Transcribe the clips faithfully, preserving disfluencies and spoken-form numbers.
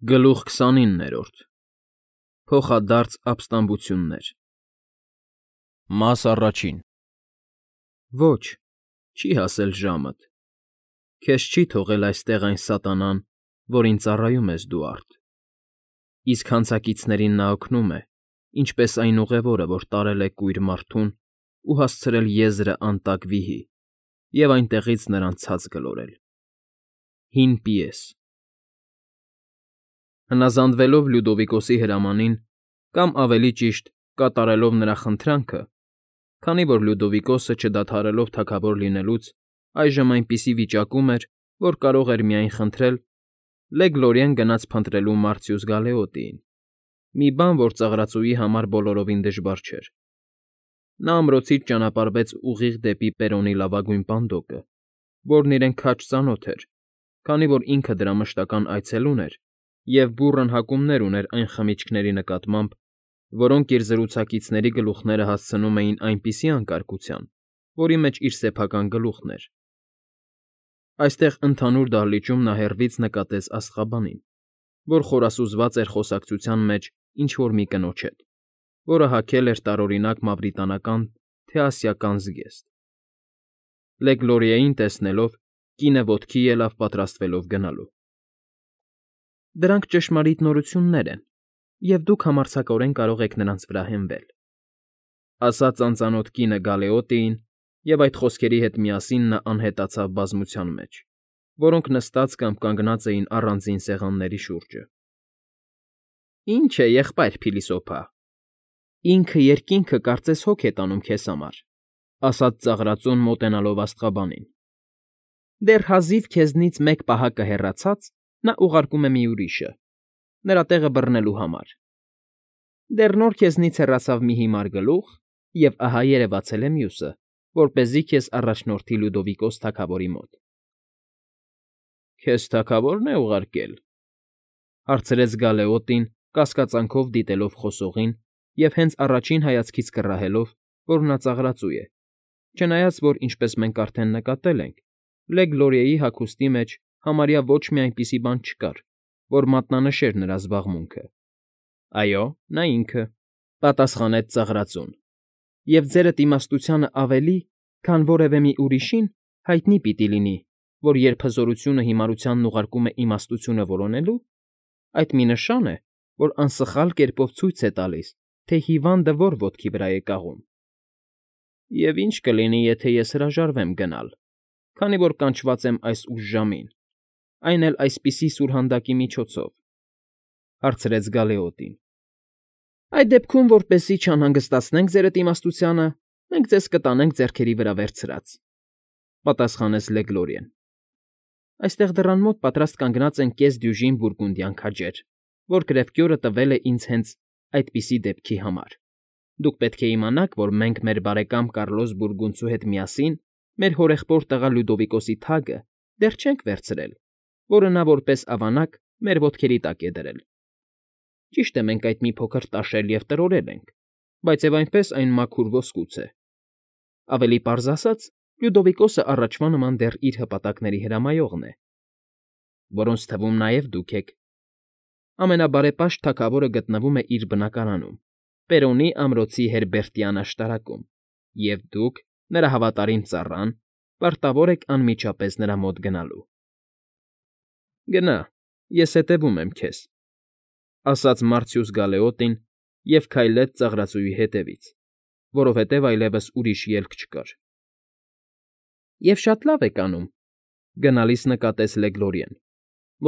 Գլուխ քսանիններորդ Փոխադարձ ապստամբություններ Մաս առաջին Ոչ, չի հասել ժամդ, քեզ չի թողել այստեղ այն սատանան, որին ծառայում ես դու արդ, իսկ հանցակիցներին նա օգնում է, ինչպես այն ուղևորը, որ տարել է կույր մարդուն ու հասցրել եզրը անտակ վիհի և այնտեղից նրան ցած գլորել։ Հին պիես Հնազանդվելով Լյուդովիկոսի հրամանին, կամ ավելի ճիշտ, կատարելով նրա խնդրանքը, քանի որ Լյուդովիկոսը, չդադարելով թագավոր լինելուց, այժմ այնպիսի վիճակում էր, որ կարող էր միայն խնդրել, Լեգլորիան գնաց փնտրելու Մարցիուս Գալեոտիին, մի բան, որ ծաղրածուի համար բոլորովին դժվար չէր։ Նա ամրոցից ճանապարհվեց ուղիղ դեպի Պերոնի լավագույն պանդոկը, որն իրեն քաջ ծանոթ էր, քանի որ ինքը դրա մշտական այցելուն էր և բուռն հակումներ ուներ այն խմիչքների նկատմամբ, որոնք իր զրուցակիցների գլուխները հասցնում էին այնպիսի անկարգության, որի մեջ իր սեփական գլուխն էր։ Այստեղ ընդհանուր դահլիճում նա հեռվից նկատեց աստղաբանին, որ խորասուզված էր խոսակցության մեջ ինչ֊որ մի կնոջ հետ, որը հագել էր տարօրինակ մավրիտանական, թե ասիական զգեստ։ Լեգլորիային տեսնելով, կինը ոտքի ելավ պատրաստվելով գնալու։ Դրանք ճշմարիտ նորություններ են, և դուք համարձակորեն կարող եք նրանց վրա հենվել,֊ ասաց անծանոթ կինը Գալեոտիին, և այդ խոսքերի հետ միասին նա անհետացավ բազմության մեջ, որոնք նստած կամ կանգնած էին առանձին սեղանների շուրջը։ ֊ Ի՞նչ է, եղբայր փիլիսոփա, ինքը երկինքը կարծես հոգ է տանում քեզ համար,֊ ասաց ծաղրածուն, մոտենալով աստղաբանին։ Դեռ հազիվ քեզնից մեկ պահակը հեռացած, նա ուղարկում է մի ուրիշը, նրա տեղը բռնելու համար։ Դեռ նոր քեզնից հեռացավ մի հիմար գլուխ, և ահա երևացել է մյուսը, որպեսզի քեզ առաջնորդի Լյուդովիկոս թագավորի մոտ։ ֊ Քեզ թագավո՞րն է ուղարկել,֊ հարցրեց Գալեոտին, կասկածանքով դիտելով խոսողին և հենց առաջին հայացքից կռահելով, որ նա ծաղրածու է, չնայած որ, ինչպես մենք արդեն նկատել ենք, Լեգլորիայի հագուստի մեջ համարյա ոչ մի այնպիսի բան չկար, որ մատնանշեր նրա զբաղմունքը։ ֊ Այո, նա ինքը,֊ պատասխանեց ծաղրածուն,֊ և ձերդ իմաստությանը ավելի, քան որևէ մի ուրիշին, հայտնի պիտի լինի, որ երբ հզորությունը հիմարությանն ուղարկում է իմաստությունը որոնելու, այդ մի նշան է, որ անսխալ կերպով ցույց է տալիս, թե հիվանդը որ ոտքի վրա է կաղում։ Եվ ի՞նչ կլինի, եթե ես հրաժարվեմ գնալ, քանի որ կանչված եմ այս ուժժամին, այն էլ այսպիսի սուրհանդակի միջոցով,֊ հարցրեց Գալեոտին։ ֊ Այդ դեպքում, որպեսզի չանհանգստացնենք ձերդ իմաստությանը, մենք ձեզ կտանենք ձեռքերի վրա վերցրած,֊ պատասխանեց Լեգլորիան։ Այստեղ դռան մոտ պատրաստ կանգնած են կես դյուժին բուրգունդյան քաջեր, որ գրեֆկյորը տվել է ինձ հենց այդպիսի դեպքի համար։ Դուք պետք է իմանաք, որ մենք մեր բարեկամ Կարլոս Բուրգունդցու հետ միասին մեր հորեղբոր տղա Լյուդովիկոսի թագը դեռ չենք վերցրել, որը նա որպես ավանակ մեր ոտքերի տակ է դրել։ Ճիշտ է, մենք այդ մի փոքր տաշել և տրորել ենք, բայց և այնպես այն մաքուր ոսկուց է։ Ավելի պարզ ասած, Լյուդովիկոսը առաջվա նման դեռ իր հպատակների հրամայողն է, որոնց թվում նաև դուք եք։ Ամենաբարեպաշտ թագավորը գտնվում է իր բնակարանում, Պերոնի ամրոցի Հերբերտյան աշտարակում, և դուք, նրա հավատարիմ ծառան, պարտավոր եք անմիջապես նրա մոտ գնալու։ ֊ Գնա, ես հետևում եմ քեզ,֊ ասաց Մարցիուս Գալեոտին և քայլեց ծաղրածուի հետևից, որովհետև այլևս ուրիշ ելք չկար։ ֊ Եվ շատ լավ եք անում,֊ գնալիս նկատեց Լեգլորիան,֊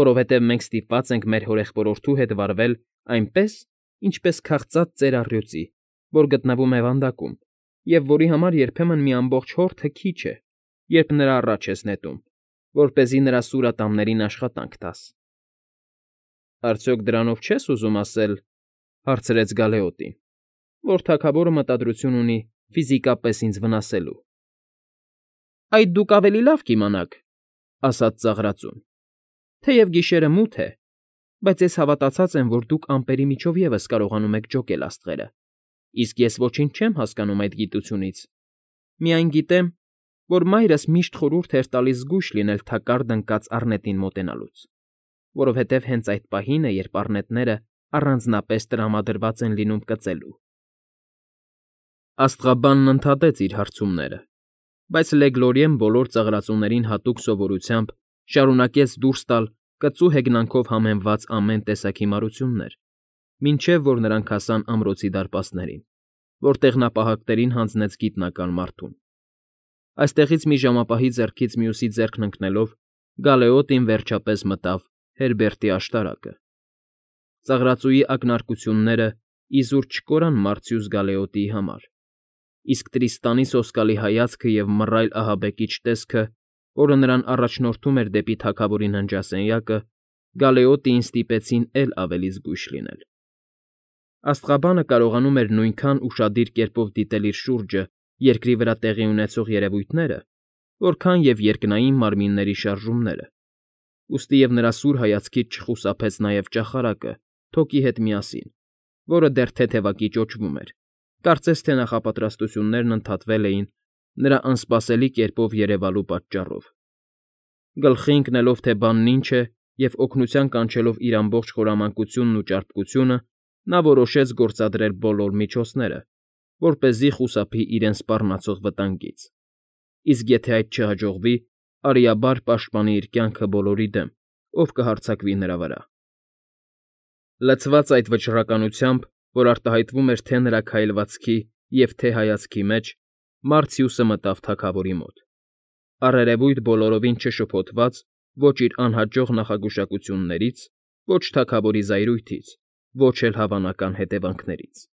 որովհետև մենք ստիպված ենք մեր հորեղբորորդու հետ վարվել այնպես, ինչպես քաղծած ծեր առյուծի, որ գտնվում է վանդակում, և որի համար երբեմն մի ամբողջ հորթը քիչ է, երբ նրա առաջ ես նետում, որպեսզի նրա սուրատամներին աշխատանք տաս։ ֊ Արդյոք դրանով չես ուզում ասել,֊ հարցրեց Գալեոտին,֊ որ թագավորը մտադրություն ունի ֆիզիկապես ինձ վնասելու։ ֊ Այդ դուք ավելի լավ կիմանաք,֊ ասաց ծաղրածուն,֊ թեև գիշերը մութ է, բայց ես հավատացած եմ, որ դուք ամպերի միջով ևս կարողանում եք ջոկել աստղերը, իսկ ես ոչինչ չեմ հասկանում այդ գիտությունից, միայն գիտեմ, որ մայրս միշտ խորհուրդ էր տալիս զգույշ լինել թակարդ ընկած առնետին մոտենալուց։ որովհետև հենց այդ պահին է, երբ առնետները առանձնապես տրամադրված են լինում կծելու։ Աստղաբանն ընդհատեց իր հարցումները, բայց Լեգլորիեն բոլոր ծաղրածուներին հատուկ սովորությամբ շարունակեց դուրս տալ կծու հեգնանքով համեմված ամեն տեսակ հիմարություններ, մինչև որ նրանք հասան ամրոցի դարպասներին, որտեղ նա պահակներին հանձնեց գիտնական մարդուն։ Այստեղից մի ժամապահի ձեռքից մյուսի ձեռքն ընկնելով Գալեոտին վերջապես մտավ Հերբերտի աշտարակը։ Ծաղրածուի ակնարկությունները իզուր չկորան Մարցյուս Գալեոտիի համար, իսկ Տրիստանի սոսկալի հայացքը և մռայլ ահաբեկիչ տեսքը, որը նրան առաջնորդում էր դեպի թագավորի ննջասենյակը, Գալեոտիին ստիպեցին էլ ավելի զգույշ լինել։ Աստղաբանը կարողանում էր նույնքան ուշադիր կերպով դիտել իր շուրջը երկրի վրա տեղի ունեցող երևույթները, որքան և երկնային մարմինների շարժումները, ուստի և նրա սուր հայացքից չխուսափեց նաև ճախարակը թոկի հետ միասին, որը դեռ թեթևակի ճոճվում էր, կարծես թե նախապատրաստություններն ընդհատվել էին նրա անսպասելի կերպով երևալու պատճառով։ Գլխի ընկնելով, թե բանն ինչ է, և օգնության կանչելով իր ամբողջ խորամանկությունն ու ճարպկությունը, նա որոշեց գործադրել բոլոր միջոցները, որպեսզի խուսափի իրեն սպառնացող վտանգից, իսկ եթե այդ չհաջողվի, արիաբար պաշտպանի իր կյանքը բոլորի դեմ, ով կհարձակվի նրա վրա։ Լցված այդ վճռականությամբ, որ արտահայտվում էր թե նրա քայլվածքի և թե հայացքի մեջ, Մարցիուսը մտավ թագավորի մոտ, առերևույթ բոլորովին չշփոթված ոչ իր անհաջող նախագուշակություններից, ոչ թագավորի զայրույթից, ոչ էլ հավանական հետևանքներից։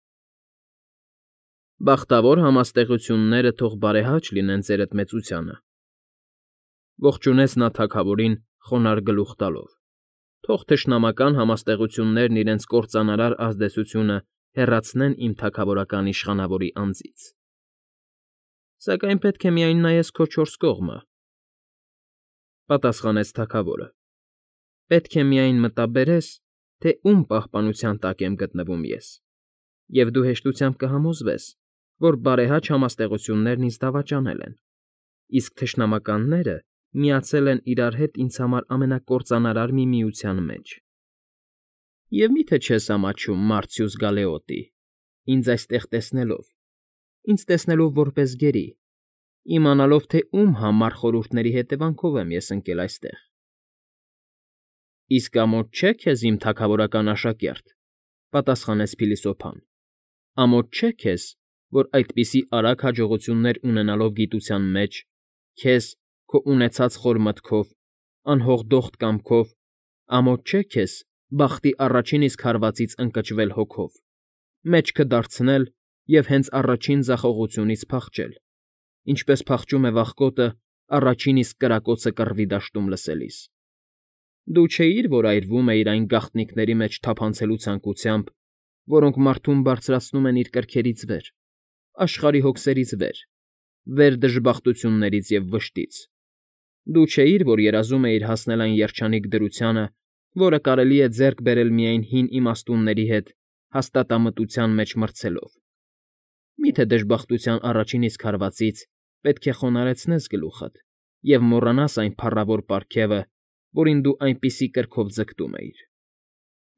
Բախտավոր համաստեղությունները թող բարեհաճ լինեն ձերդ մեծությանը,֊ ողջունեց նա թագավորին խոնարհ գլուխ տալով, թող թշնամական համաստեղություններն իրենց կործանարար ազդեցությունը հեռացնեն իմ թագավորական իշխանավորի անձից։ Սակայն պետք է միայն նայես քո չորս կողմը,֊ պատասխանեց թագավորը,֊ պետք է միայն մտաբերես, թե ում պահպանության տակ եմ գտնվում ես, և դու հեշտությամբ կհամոզվես, որ բարեհաճ համաստեղություններն ինձ դավաճանել են, իսկ թշնամականները միացել են իրար հետ ինձ համար ամենակործանարար մի միության մեջ։ Եվ մի՞թե չես ամաչում, Մարցյուս Գալեոտի, ինձ այստեղ տեսնելով, ինձ տեսնելով որպես գերի, իմանալով, թե ում համառ խորհուրդների հետևանքով եմ ես ընկել այստեղ։ Իսկ ամոթ չէ քեզ, իմ թագավորական աշակերտ,֊ պատասխանեց փիլիսոփան,֊ ամոթ չէ քեզ, որ այդպիսի արագ հաջողություններ ունենալով գիտության մեջ, քեզ, քո ունեցած խոր մտքով, անհողդոխտ կամքով, ամոթ չէ քեզ բախտի առաջին իսկ հարվածից ընկճվել հոգով, մեջքը դարձնել և հենց առաջին ձախողությունից փախչել, ինչպես փախչում է վախկոտը առաջին իսկ կրակոցը կռվի դաշտում լսելիս։ Դու չէիր, որ այրվում էիր այն գաղտնիքների մեջ թափանցելու ցանկությամբ, որոնք մարդուն բարձրացնում են իր կրքերից վեր, աշխարհի հոգսերից վեր, վեր դժբախտություններից և վշտից։ Դու չէիր, որ երազում էիր հասնել այն երջանիկ դրությանը, որը կարելի է ձեռք բերել միայն հին իմաստունների հետ հաստատամտության մեջ մրցելով։ Մի՞թե դժբախտության առաջին իսկ հարվածից պետք է խոնարհեցնես գլուխդ և մոռանաս այն փառավոր պարգևը, որին դու այնպիսի կրքով ձգտում էիր։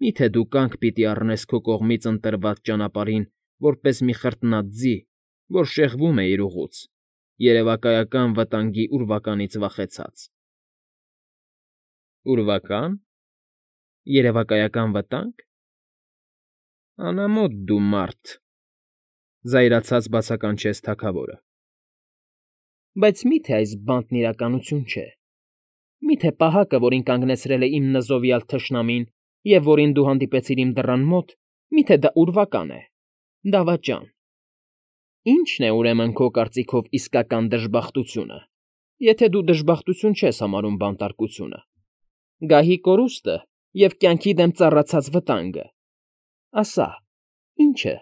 Մի՞թե դու կանգ պիտի առնես քո կողմից ընտրված ճանապարհին որպես մի խրտնած ձի, որ շեղվում է իր ուղուց, երևակայական վտանգի ուրվականից վախեցած։ Ուրվակա՞ն, երևակայական վտա՞նգ… Անամոթ դու, մարդ,֊ զայրացած բացականչեց թագավորը։ Բայց մի՞թե այս բանտն իրականություն չէ։ Մի՞թե պահակը, որին կանգնեցրել է իմ նզովյալ թշնամին և որին դու հանդիպեցիր իմ դռան մոտ, մի՞թե դա ուրվական է, դավաճան։ Ի՞նչն է, ուրեմն, քո կարծիքով իսկական դժբախտությունը, եթե դու դժբախտություն չես համարում բանտարկությունը, գահի կորուստը և կյանքի դեմ ծառացած վտանգը… Ասա, ի՞նչ է։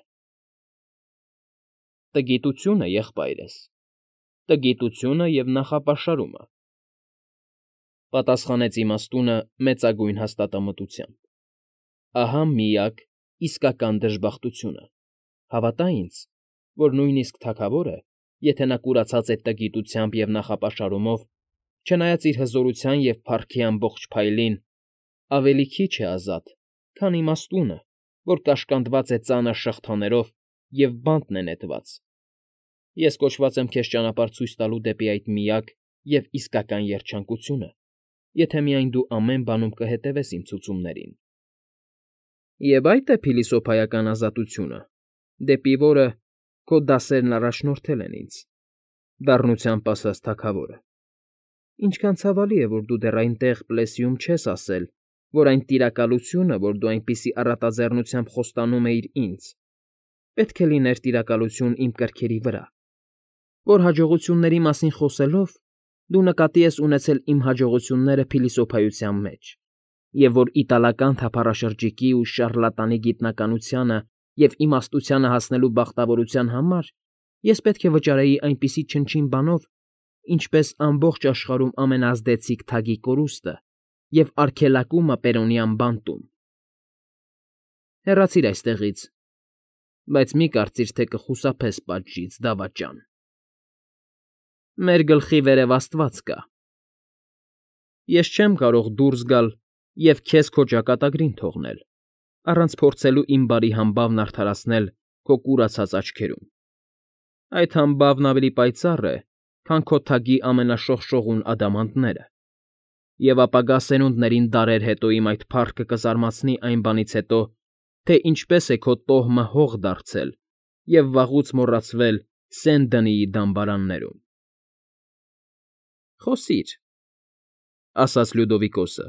Տգիտությունը, եղբայրս, տգիտությունը և նախապաշարումը,֊ պատասխանեց իմաստունը մեծագույն հաստատամտությամբ։ Ահա միակ, իսկական դժբախտությունը, հավատա ինձ, որ նույնիսկ թագավորը, եթե նա կուրացած է տգիտությամբ և նախապաշարումով, չնայած իր հզորության և փառքի ամբողջ փայլին, ավելի քիչ է ազատ, քան իմաստունը, որ կաշկանդված է ծանր շղթաներով և բանտն է նետված։ Ես կոչված եմ քեզ ճանապարհ ցույց տալու դեպի այդ միակ և իսկական երջանկությունը, եթե միայն դու ամեն բանում կհետևես իմ ցուցումներին։ Եվ այդ է փիլիսոփայական ազատությունը, դեպի որը քո դասերն առաջնորդել են ինձ,֊ դառնությամբ ասաց թագավորը։ Ինչքան ցավալի է, որ դու դեռ այնտեղ, Պլեսիում, չես ասել, որ այն տիրակալությունը, որ դու այնպիսի առատաձեռնությամբ խոստանում էիր ինձ, պետք է լիներ տիրակալություն իմ կրքերի վրա, որ հաջողությունների մասին խոսելով դու նկատի ես ունեցել իմ հաջողությունները փիլիսոփայության մեջ, և որ իտալական թափառաշրջիկի ու շառլատանի գիտնականությանը և իմաստությանը հասնելու բախտավորության համար ես պետք է վճարեի այնպիսի չնչին բանով, ինչպես ամբողջ աշխարհում ամենաազդեցիկ թագի կորուստը և արգելակումը Պերոնյան բանտում։ Հեռացիր այստեղից, բայց մի կարծիր, թե կխուսափես պատժից, դավաճան… Մեր գլխի վերև աստված կա… Ես չեմ կարող դուրս գալ և քեզ քո ճակատագրին թողնել, առանց փորձելու իմ բարի համբավն արդարացնել քո կուրացած աչքերում… Այդ համբավն ավելի պայծառ է, քան քո թագի ամենաշողշողուն ադամանդները, և ապագա սերունդներին դարեր հետո իմ այդ փառքը կզարմացնի այն բանից հետո, թե ինչպես է քո տոհմը հող դարձել և վաղուց մոռացվել Սեն֊Դնիի դամբարաններում։ ֊ Խոսիր,֊ ասաց Լյուդովիկոսը,֊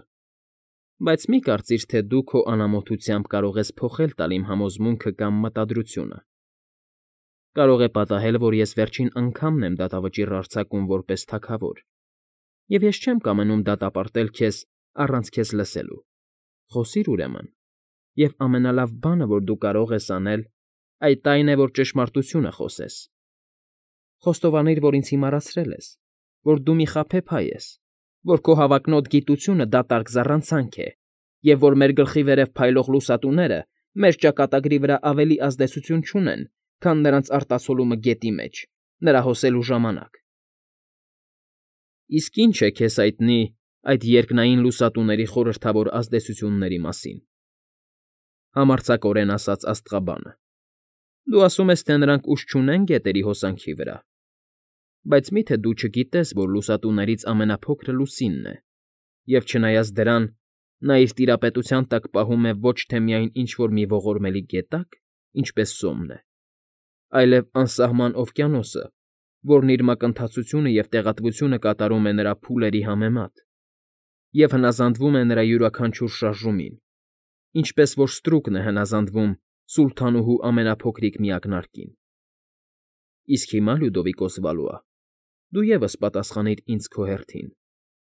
բայց մի կարծիր, թե դու քո անամոթությամբ կարող ես փոխել տալ իմ համոզմունքը կամ մտադրությունը… Կարող է պատահել, որ ես վերջին անգամն եմ դատավճիռ արձակում որպես թագավոր, և ես չեմ կամենում դատապարտել քեզ առանց քեզ լսելու… Խոսիր, ուրեմն, և ամենալավ բանը, որ դու կարող ես անել, այդ այն է, որ ճշմարտությունը խոսես… Խոստովանիր, որ ինձ հիմարացրել ես, որ դու մի խաբեբայ ես, որ քո հավակնոտ գիտությունը դատարկ զառանցանք է, և որ մեր գլխի վերև փայլող լուսատուները մեր ճակատագրի վրա ավելի ազդեցություն չունեն, քան նրանց արտացոլումը գետի մեջ, նրա հոսելու ժամանակ… Իսկ ի՞նչ է քեզ հայտնի այդ երկնային լուսատուների խորհրդավոր ազդեցությունների մասին,֊ համարձակորեն ասաց աստղաբանը։֊ Դու ասում ես, թե նրանք ուժ չունեն գետերի հոսանքի վրա, բայց մի՞թե դու չգիտես, որ լուսատուներից ամենափոքրը Լուսինն է, և չնայած դրան, նա իր տիրապետության տակ պահում է ոչ թե միայն ինչ֊որ մի ողորմելի գետակ, ինչպես Սոմն է, այլև անսահման օվկիանոսը, որն իր մակընթացությունը և տեղատվությունը կատարում է նրա փուլերի համեմատ և հնազանդվում է նրա յուրաքանչյուր շարժումին, ինչպես որ ստրուկն է հնազանդվում սուլթանուհու ամենափոքրիկ միակնարկին… Իսկ հիմա, Լյուդովիկոս Վալուա, դու ևս պատասխանիր ինձ քո հերթին,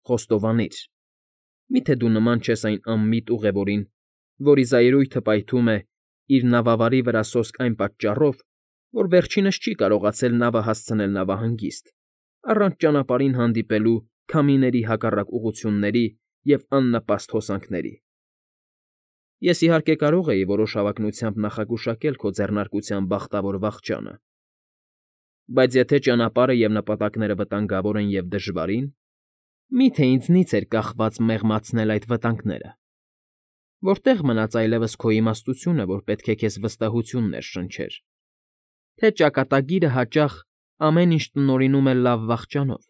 խոստովանիր. մի՞թե դու նման չես այն անմիտ ուղևորին, որի զայրույթը պայթում է, իր նավավարի վրա սոսկ այն պատճառով, որ վերջինս չի կարողացել նավը հասցնել նավահանգիստ, առանց ճանապարհին հանդիպելու քամիների հակառակ ուղղությունների և աննպաստ հոսանքների… Ես, իհարկե, կարող էի որոշ հավակնությամբ նախագուշակել քո ձեռնարկության բախտավոր վախճանը, բայց եթե ճանապարհը և նպատակները վտանգավոր են և դժվարին, մի՞թե ինձնից էր կախված մեղմացնել այդ վտանգները… Որտե՞ղ մնաց այլևս քո իմաստությունը, որ պետք է քեզ վստահություն ներշնչեր, թե ճակատագիրը հաճախ ամեն ինչ տնօրինում է լավ վախճանով,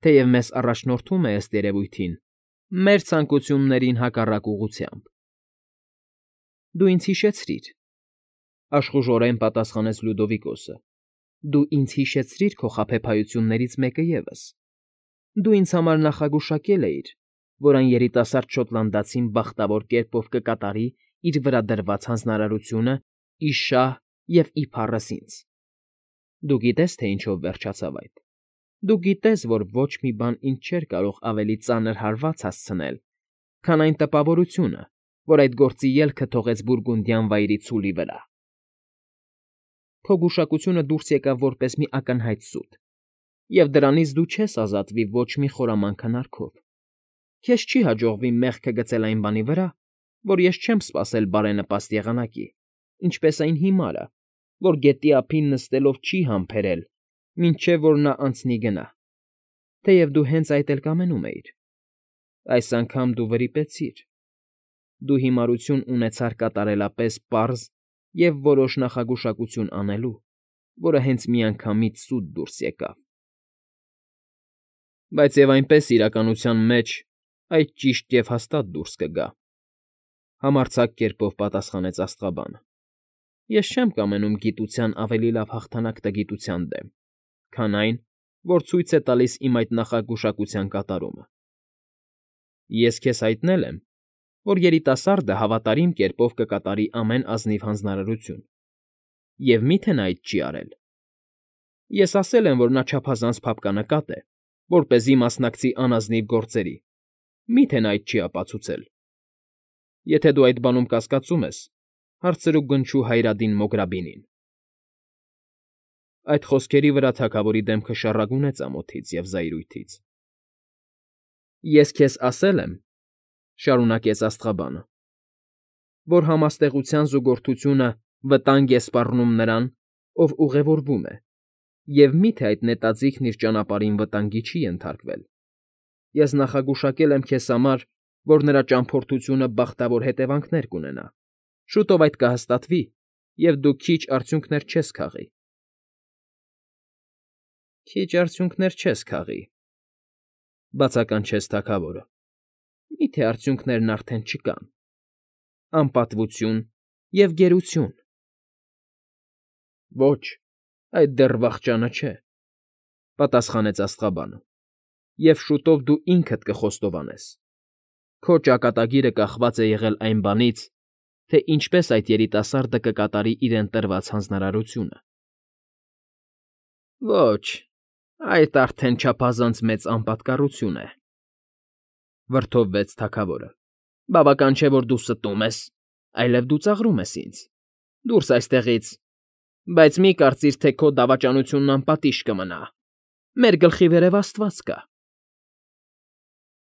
թեև մեզ առաջնորդում է, ըստ երևույթին, մեր ցանկություններին հակառակ ուղղությամբ… Դու ինձ հիշեցրիր,֊ աշխուժորեն պատասխանեց Լյուդովիկոսը,֊ դու ինձ հիշեցրիր քո խաբեբայություններից մեկը ևս… Դու ինձ համար նախագուշակել էիր, որ այն երիտասարդ շոտլանդացին բախտավոր կերպով կկատարի իր վրա դրված հանձնարարությունը ի շահ և ի փառս ինձ… Դու գիտես, թե ինչով վերջացավ այդ… Դու գիտես, որ ոչ մի բան ինձ չէր կարող ավելի ծանր հարված հասցնել, քան այն տպավորությունը, որ այդ գործի ելքը թողեց Բուրգունդյան վայրի ցուլի վրա… Քո գուշակությունը դուրս եկավ որպես մի ակնհայտ սուտ, և դրանից դու չես ազատվի ոչ մի խորամանկ հնարքով… Քեզ չի հաջողվի մեղքը գցել այն բանի վրա, որ ես չեմ սպասել բարենպաստ եղանակի, ինչպես այն հիմարը, որ գետի ափին նստելով չի համբերել, մինչև որ նա անցնի գնա, թեև դու հենց այդ էլ կամենում էիր… Այս անգամ դու վրիպեցիր, Դու հիմարություն ունեցար կատարելապես պարզ և որոշ նախագուշակություն անելու, որը հենց միանգամից սուտ դուրս եկավ։ ֊ Բայց և այնպես իրականության մեջ այդ ճիշտ և հաստատ դուրս կգա,֊ համարձակ կերպով պատասխանեց աստղաբանը։֊ Ես չեմ կամենում գիտության ավելի լավ հաղթանակ տգիտության դեմ, քան այն, որ ցույց է տալիս իմ այդ նախագուշակության կատարումը։ Ես քեզ հայտնել եմ, որ երիտասարդը հավատարիմ կերպով կկատարի ամեն ազնիվ հանձնարարություն, և մի՞թե նա այդ չի արել։ Ես ասել եմ, որ նա չափազանց փափկանակատ է, որպեսզի մասնակցի անազնիվ գործերի, մի՞թե նա այդ չի ապացուցել։ Եթե դու այդ բանում կասկածում ես, հարցրու գնչու Հայրադին Մոգրաբինին… Այդ խոսքերի վրա թագավորի դեմքը շառագունեց ամոթից և զայրույթից։ ֊ Ես քեզ ասել եմ,֊ շարունակեց աստղաբանը,֊ որ համաստեղության զուգորդությունը վտանգ է սպառնում նրան, ով ուղևորվում է, և մի՞թե այդ նետաձիգն իր ճանապարհին վտանգի չի ենթարկվել։ Ես նախագուշակել եմ քեզ համար, որ նրա ճամփորդությունը բախտավոր հետևանքներ կունենա, շուտով այդ կհաստատվի, և դու քիչ արդյունքներ չես քաղի։ ֊ Քիչ արդյունքներ չես քաղի,֊ բացականչեց թագավորը։֊ Մի՞թե արդյունքներն արդեն չկան… Անպատվություն և գերություն… ֊ Ոչ, այդ դեռ վախճանը չէ,֊ պատասխանեց աստղաբանը,֊ և շուտով դու ինքդ կխոստովանես։ Քո ճակատագիրը կախված է եղել այն բանից, թե ինչպես այդ երիտասարդը կկատարի իրեն տրված հանձնարարությունը։ ֊ Ոչ, այդ արդեն չափազանց մեծ անպատկառություն է,֊ վրդովվեց թագավորը։֊ Բավական չէ, որ դու ստում ես, այլև դու ծաղրում ես ինձ… Դուրս այստեղից… Բայց մի կարծիր, թե քո դավաճանությունն անպատիժ կմնա… Մեր գլխի վերև աստված կա։